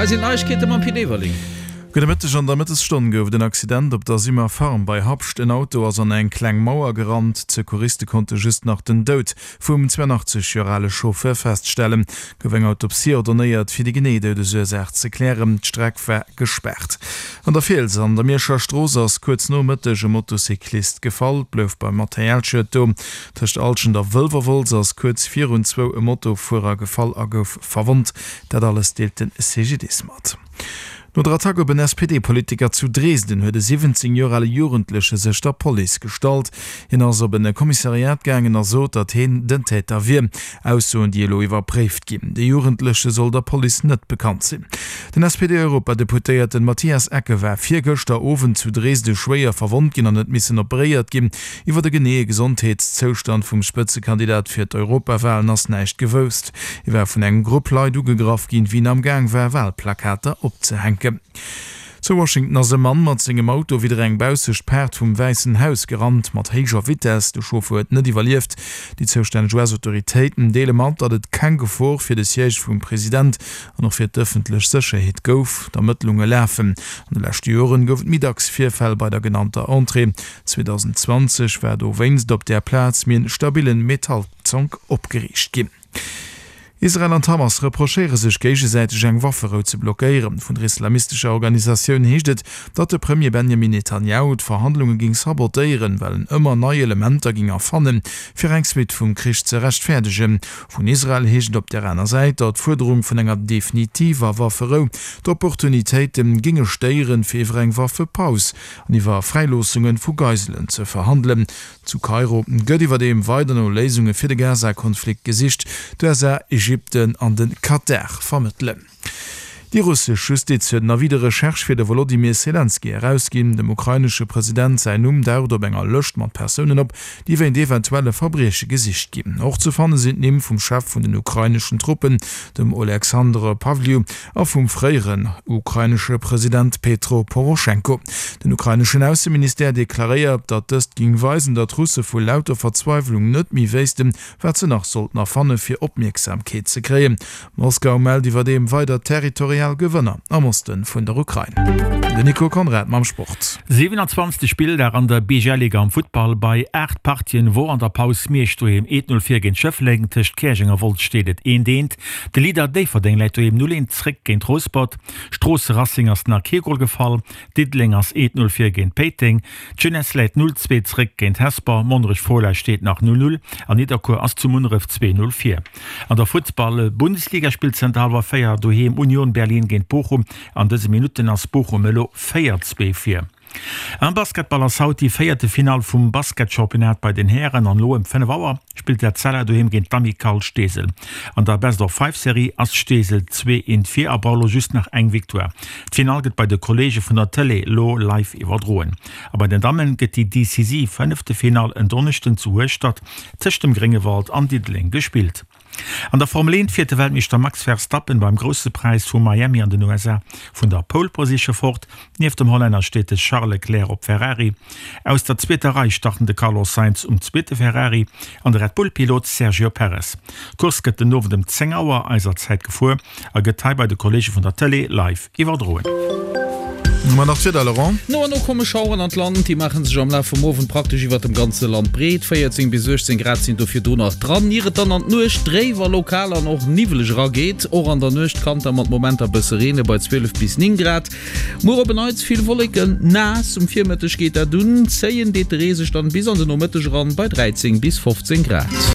Hei sinn d'Neiegkeete mam Pit Everling. Gudde Mëtteg, An der Mëttesstonn gouf et en Accident op der Simmer Farm bei Habscht. En Auto ass an eng kleng Mauer gerannt. D'Secouriste konnte just nach den Doud vum 82 Joer ale Chauffeur feststellen. Gouf eng Autopsie ordonéiert, fir déi genee Doudesursaach ze klären. D'Streck war gespaart. An der Fiels an der Mierscher Strooss ass kuerz no Mëtteg e Motocyclist gefall. Et blouf beim Materialschued do. Tëscht Alschent a Wëlwerwolz ass kuerz virun zwou e Motofuerer gefall a gouf verwonnt. Dat alles deelt de CGDIS mat. No der Attack op en SPD-Politiker zu Dresden huet e 17 Joer ale Jugendleche sech der Police gestallt. Hien ass op en Kommissariat gaangen a sot, datt heen den Täter wier. Aussoen, déi elo iwwerpréift ginn. De Jugendleche soll der Police net bekannt sinn. Den SPD-Europadeputéierten Matthias Ecke war virgëschter Owend zu Dresde schwéier verwonnt ginn an huet missen operéiert ginn. Iwwer de geneeë Gesondheetszoustand vum Spëtzekandidat fir d'Europawalen ass näischt gewousst. Hie war vun engem Grupp Leit ugegraff ginn, wéi en am Gaang war, Walplakater opzehänken. Zu Washington ass e Mann mat sengem Auto widder eng baussescht Paart vum Wäissen Haus gerannt, mat héijer Vitess. De Chauffer huet net iwwerlieft. Déi zoustänneg US-Autoritéiten deele mat, datt et keng Gefor fir de Siège vum President an och fir d'ëffentlech Sécherheet gouf. D'Ermëttlunge lafen. An de leschte Joren gouf et méi dacks Virfäll bei der genannter Entrée. 2020 war dowéinst op där Plaz méi en stabillen Metallzonk opgeriicht ginn. Israel an d'Hamas reprochéiere sech géigesäiteg eng Wafferou ze blockéieren. Vun der islamistescher Organisatioun heescht et, datt de Premier Benjamin Netanjahu d'Verhandlunge géing sabotéieren, well en ëmmer nei Elementer géing erfannen, fir eng Suite vum Krich ze rechtfäerdegen. Vun Israel heescht et op där aner Säit, datt d'Fuerderung vun enger definitiver Wafferou d'Opportunitéite géinge stéieren, fir iwwer eng Waffepaus an iwwer Fräiloossunge vu Geiselen ze verhandelen. Zu Kairo gëtt iwwerdeem weider no Léisunge fir de Gaza-Konflikt gesicht. D'USA, Ägypten an de Katar vermëttelen. Déi russesch Justiz huet en Avis de recherche fir de Wolodymyr Selenskyj erausginn. Dem ukrainesche President säin Numm daucht op enger Lëscht mat Persounen op, déi wéint eventuelle Verbrieche gesicht ginn. Och ze fanne sinn d'Nimm vum Chef vun den ukraineschen Truppen, dem Oleksandr Pavliw, a vum fréieren ukrainesche President Petro Poroschenko. Den ukraineschen Ausseministère deklaréiert, datt dëst géing weisen, datt d'Russe vu lauter Verzweiwlung net méi wéissten, wat se nach sollten erfanne fir Opmierksamkeet ze kréien. Moskau mellt iwwerdeem weider territorial Gewënner am Oste vun der Ukrain. Den Nico Conrad mam Sport. 27. Spilldag an der BGL-Liga am Futtball. Bei 8 Partien wor an der Paus Miersch doheem 1, 0 vir géint Schëffleng. Tëscht Käerjeng a Wolz steet et 1, 1. De Leader Déifferdeng läit doheem 0, 1 zréck géint Rouspert. Stroosse Racing ass nach kee Gol gefall. Diddeleng ass 1, 0 vir géint Péiteng. D'Jeunesse läit 0, 2 zréck géint Hesper. Monnerech-Fola steet nach 0, 0 an Nidderkuer ass zu Munneref 2, 0 vir. An der Futtball-Bundesliga spillt zënter hallwer 4 doheem Union Berlin géint Bochum. An dëse Minutten ass Bochum elo 4, 2 vir. Am Basketball ass haut déi véierte Finall vum Basketchampionnat bei den Hären an elo ëm 5 Auer spillt d'Etzella doheem géint d'Amicale Steesel. An der Best of Five Serie ass Steesel 2 eent vir a brauch elo just nach eng Victoire. D'Finall gëtt bei de Kolleege vun der Tëlee elo live iwwerdroen. A bei den Damme gëtt déi decisiv fënnefte Finall en Donneschden zu Hueschtert tëscht dem Gréngewald an Diddeleng gespillt. An der Formel 1 fiert de Weltmeeschter Max Verstappen beim Grousse Präis vu Miami an den USA vun der Pole Position fort. Nieft dem Hollänner steet de Charles Leclerc op Ferrari. Aus der zweeter Rei starten de Carlos Sainz um zweete Ferrari an de Red Bull-Pilot Sergio Perez. D'Course gëtt den Owend ëm 10 Auer eiser Zäit gefuer a gëtt hei bei de Kolleege vun der Tëlee live iwwerdroen. Ma nach d'Wieder, Laurent? No an no komme Schaueren an d'Land, déi maache sech am Laf vum Owend praktesch iwwert dem ganze Land breet. 14 bis 18 Grad sinn do virdru nach dran, ier et dann an d'Nuecht dréif a lokal an och niwweleg erageet. Och an der Nuecht kann da mat Momenter bësse reene bei 12 bis 9 Grad. Muer op en Neits vill Wolleken, naass, um Virmëtteg geet dat un, zéien deet de Ree sech dann bis an de Nomëtteg eran bei 13 bis 15 Grad.